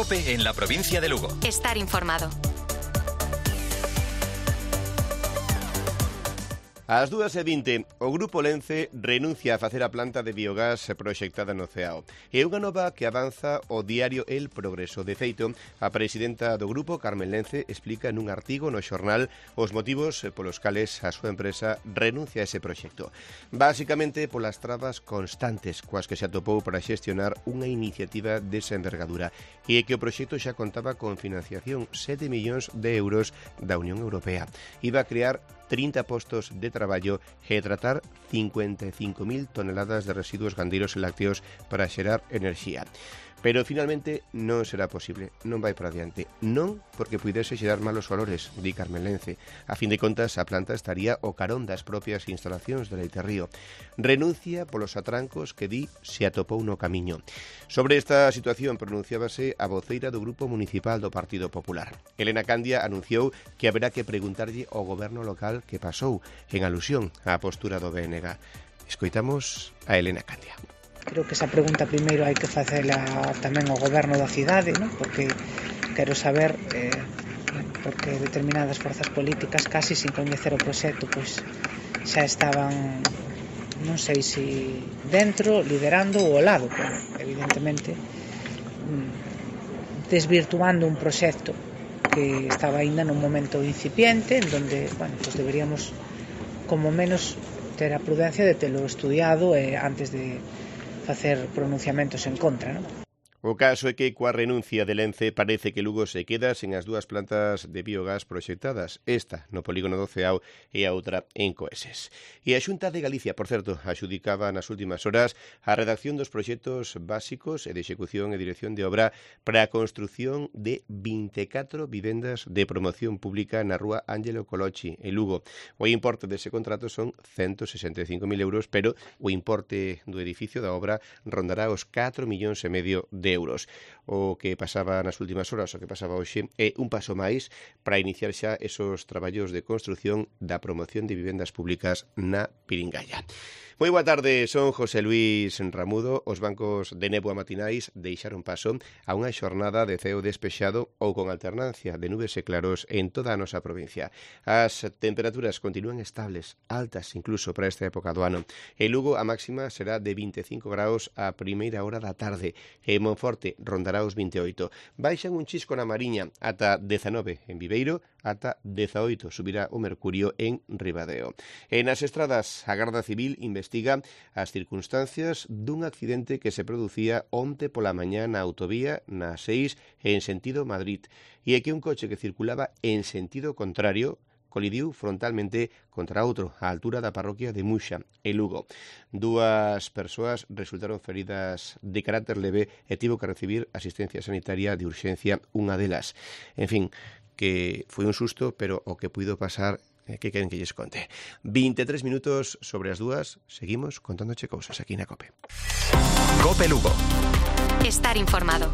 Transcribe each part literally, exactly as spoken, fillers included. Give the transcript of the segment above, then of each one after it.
COPE en la provincia de Lugo. Estar informado. Ás dúas e vinte, o Grupo Lence renuncia a facer a planta de biogás proxectada no Ceao. É unha nova que avanza o diario El Progreso. De feito, a presidenta do grupo, Carmen Lence, explica nun artigo no xornal os motivos polos cales a súa empresa renuncia a ese proxecto. Básicamente polas trabas constantes coas que se atopou para xestionar unha iniciativa desa envergadura e que o proxecto xa contaba con financiación sete millóns de euros da Unión Europea. Iba a crear trinta postos de traballo e tratar cincuenta e cinco mil toneladas de residuos gandeiros e lácteos para xerar enerxía. Pero finalmente non será posible, non vai para adiante. Non porque puidese xerar malos valores, di Carmen Lence. A fin de contas, a planta estaría o carón das propias instalacións de Leite Río. Renuncia polos atrancos que di se atopou no camiño. Sobre esta situación pronunciábase a voceira do Grupo Municipal do Partido Popular. Elena Candia anunciou que haberá que preguntarlle ao goberno local que pasou, en alusión á postura do B N G. Escoitamos a Elena Candia. Creo que esa pregunta primeiro hai que facela tamén ao goberno da cidade, non? Porque quero saber eh, porque determinadas forzas políticas casi sin coñecer o proxecto pois xa estaban, non sei se dentro, liderando ou ao lado, pero evidentemente desvirtuando un proxecto que estaba aínda nun momento incipiente en donde, bueno, pues deberíamos como menos ter a prudencia de telo estudiado eh, antes de facer pronunciamentos en contra, non? O caso é que coa renuncia de Lence parece que Lugo se queda sen as dúas plantas de biogás proxectadas, esta no polígono do Ceao e a outra en Coeses. E a Xunta de Galicia, por certo, axudicaba nas últimas horas a redacción dos proxectos básicos e de execución e dirección de obra para a construción de vinte e catro vivendas de promoción pública na rúa Ángelo Colochi, en Lugo. O importe dese contrato son ciento sesenta e cinco mil euros, pero o importe do edificio da obra rondará os catro millóns e medio de euros. O que pasaba nas últimas horas, o que pasaba hoxe, é un paso máis para iniciar xa esos traballos de construción da promoción de vivendas públicas na Piringalla. Moi boa tarde, son José Luis Ramudo. Os bancos de néboa matinais deixaron paso a unha xornada de ceo despexado ou con alternancia de nubes e claros en toda a nosa provincia. As temperaturas continúan estables, altas incluso para esta época do ano. En Lugo a máxima será de vinte e cinco graus a primeira hora da tarde e en Monforte rondará os vinte e oito. Baixan un chisco na Mariña ata dezanove en Viveiro, ata dezaoito subirá o mercurio en Ribadeo. E nas estradas, a Garda Civil investiga as circunstancias dun accidente que se producía onte pola mañá na autovía na seis en sentido Madrid e é que un coche que circulaba en sentido contrario colidiu frontalmente contra outro á altura da parroquia de Muxa, en Lugo. Dúas persoas resultaron feridas de carácter leve e tivo que recibir asistencia sanitaria de urxencia unha delas. En fin, que foi un susto, pero o que puido pasar, eh, que queren que lles conte. vinte e tres minutos sobre as dúas, seguimos contándoche cousas aquí na COPE. COPE Lugo. Estar informado.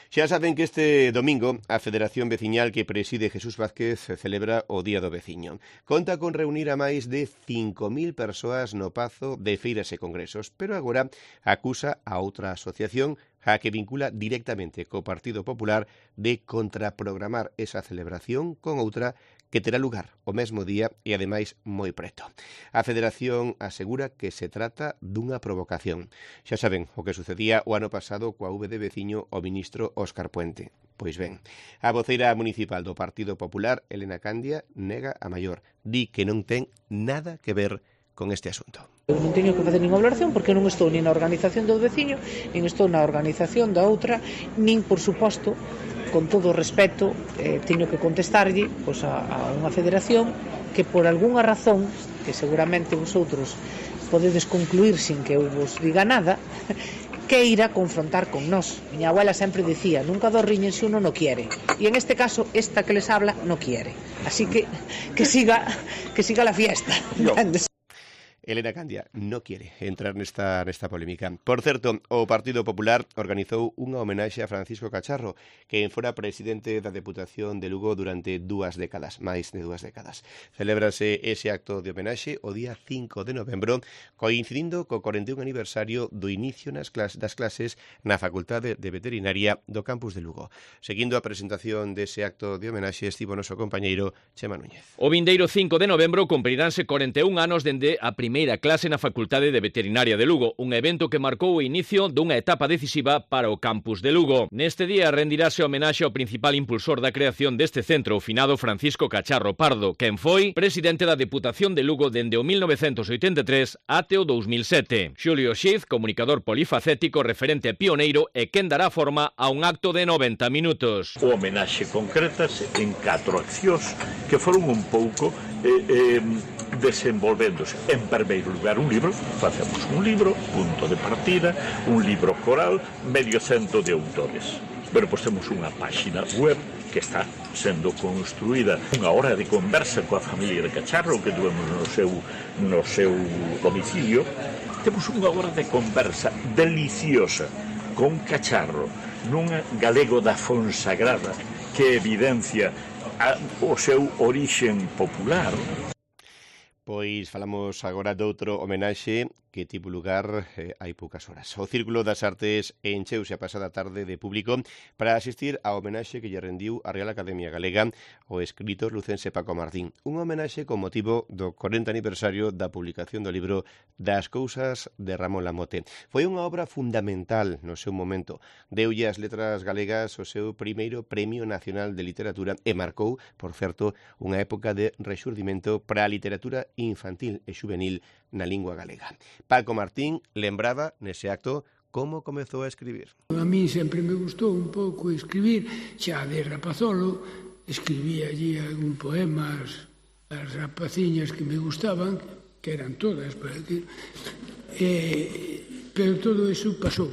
Xa saben que este domingo a Federación Veciñal que preside Jesús Vázquez celebra o Día do Veciño. Conta con reunir a máis de cinco mil persoas no Pazo de feiras e congresos, pero agora acusa a outra asociación a que vincula directamente co Partido Popular de contraprogramar esa celebración con outra que terá lugar o mesmo día e, ademais, moi preto. A Federación asegura que se trata dunha provocación. Xa saben o que sucedía o ano pasado coa V de veciño o ministro Óscar Puente. Pois ben, a voceira municipal do Partido Popular, Elena Candia, nega a maior. Di que non ten nada que ver con este asunto. Eu non teño que facer ninguna valoración porque non estou nin na organización do veciño, nin estou na organización da outra, nin, por suposto, con todo o respeto, eh, teño que contestarlle pois, a, a unha federación que por algunha razón, que seguramente vosotros podedes concluir sin que eu vos diga nada, que irá confrontar con nós. Miña abuela sempre dicía, nunca dos riñen se uno no quiere. E en este caso, esta que les habla no quiere. Así que que siga, que siga la fiesta. No. Elena Candia non quere entrar nesta, nesta polémica. Por certo, o Partido Popular organizou unha homenaxe a Francisco Cacharro, que fora presidente da Deputación de Lugo durante dúas décadas, máis de dúas décadas. Celébrase ese acto de homenaxe o día cinco de novembro, coincidindo co cuarenta e un aniversario do inicio nas clas das clases na Facultade de Veterinaria do campus de Lugo. Seguindo a presentación dese acto de homenaxe estivo noso compañeiro Chema Núñez. O vindeiro cinco de novembro cumpriránse cuarenta e un anos dende a primeira clase na Facultade de Veterinaria de Lugo, un evento que marcou o inicio dunha etapa decisiva para o campus de Lugo. Neste día rendirase homenaxe ao principal impulsor da creación deste centro, o finado Francisco Cacharro Pardo, quen foi presidente da Deputación de Lugo dende o mil novecentos oitenta e tres até o dous mil sete. Xulio Xiz, comunicador polifacético, referente e pioneiro, e quen dará forma a un acto de noventa minutos. O homenaxe concretas en catro accións que foron un pouco eh, eh, desenvolvéndose. En primeiro lugar, un libro, facemos un libro, punto de partida, un libro coral, medio cento de autores. Pero pois temos unha páxina web que está sendo construída, unha hora de conversa coa familia de Cacharro que tuvemos no seu, no seu domicilio. Temos unha hora de conversa deliciosa con Cacharro, nun galego da Fonsagrada que evidencia a, o seu orixen popular. Pois falamos agora doutro homenaxe que tivo lugar eh, hai poucas horas. O Círculo das Artes encheuse a pasada tarde de público para asistir ao homenaxe que lle rendiu a Real Academia Galega o escritor lucense Paco Martín. Un homenaxe con motivo do cuarenta aniversario da publicación do libro Das cousas de Ramón Lamote. Foi unha obra fundamental no seu momento. Deulle as letras galegas o seu primeiro Premio Nacional de Literatura e marcou, por certo, unha época de rexurdimento para a literatura infantil e juvenil na lingua galega. Paco Martín lembraba nese acto como comezou a escribir. A mí sempre me gustou un pouco escribir, xa de rapazolo, escribía allí algún poemas, as rapaciñas que me gustaban, que eran todas, para decir, eh, pero todo eso pasou.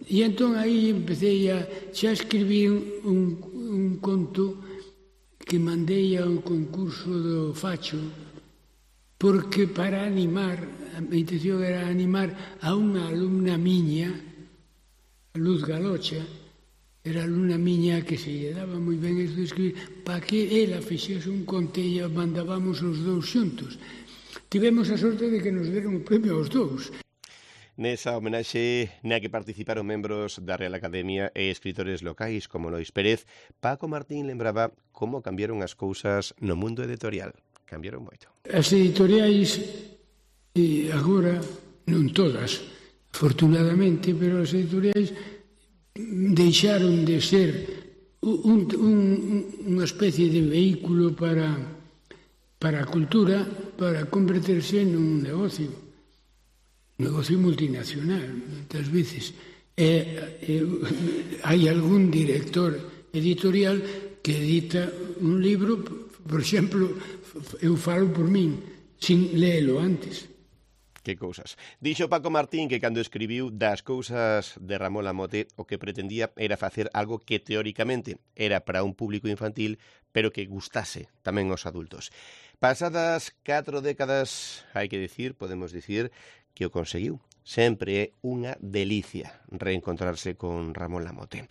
E entón aí empecé a, xa escribí un, un conto que mandei ao concurso do Facho, porque para animar, a minha intención era animar a unha alumna miña, Luz Galocha, era alumna miña que se lle daba moi ben isto de escribir, para que ela fixese un conto e mandábamos os dous xuntos. Tivemos a sorte de que nos deron o premio aos dous. Nesa homenaxe na que participaron membros da Real Academia e escritores locais como Lois Pérez, Paco Martín lembraba como cambiaron as cousas no mundo editorial. Cambiaron moito. As editoriais, e agora, non todas, afortunadamente, pero as editoriais deixaron de ser un, un, unha especie de vehículo para, para a cultura, para converterse nun negocio, un negocio multinacional, moitas veces. E, e, hai algún director editorial que edita un libro, por exemplo, eu falo por min, sin léelo antes. Que cousas. Dixo Paco Martín que cando escribiu Das cousas de Ramón Lamote o que pretendía era facer algo que teóricamente era para un público infantil, pero que gustase tamén aos adultos. Pasadas catro décadas, hai que dicir, podemos dicir, que o conseguiu. Sempre é unha delicia reencontrarse con Ramón Lamote.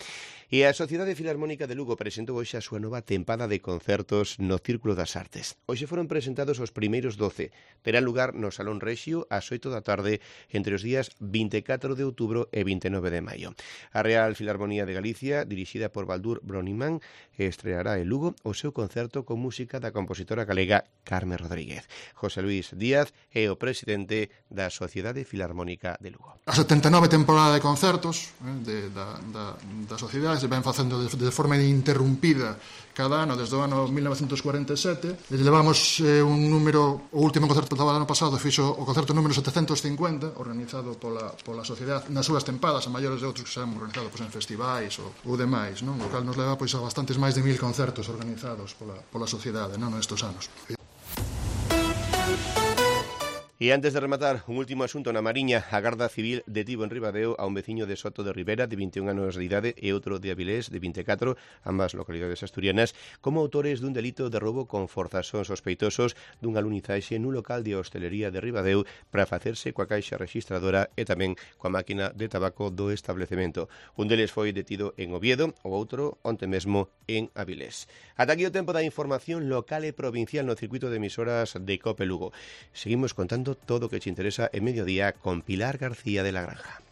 E a Sociedade Filarmónica de Lugo presentou hoxe a súa nova tempada de concertos no Círculo das Artes. Hoxe foron presentados os primeiros doce. Terán lugar no Salón Rexio ás oito da tarde entre os días vinte e catro de outubro e vinte e nove de maio. A Real Filarmonía de Galicia, dirixida por Baldur Broniman, estreará en Lugo o seu concerto con música da compositora galega Carmen Rodríguez. José Luis Díaz é o presidente da Sociedade Filarmónica de Lugo. A setenta e nove temporada de concertos eh, de, da, da, da sociedade se ven facendo de, de forma ininterrumpida cada ano desde o ano mil novecentos cuarenta e sete. Levamos eh, un número, o último concerto do ano pasado fixo o concerto número setecentos cincuenta, organizado pola, pola sociedade nas súas tempadas, a maiores de outros que se han organizado pois, en festivais ou, ou demais, non? O cal nos leva pois, a bastantes máis de mil concertos organizados pola, pola sociedade non? Nestes anos. E E antes de rematar, un último asunto na Mariña. A Garda Civil detivo en Ribadeo a un veciño de Soto de Ribera de vinte e un anos de idade e outro de Avilés de vinte e catro, ambas localidades asturianas, como autores dun delito de roubo con forza. Son sospeitosos dunha alunizaxe nun local de hostelería de Ribadeo para facerse coa caixa registradora e tamén coa máquina de tabaco do establecemento. Un deles foi detido en Oviedo, o outro onte mesmo en Avilés. Ata aquí o tempo da información local e provincial no circuito de emisoras de Cope Lugo. Seguimos contando todo o que te interesa en Mediodía con Pilar García de la Granja.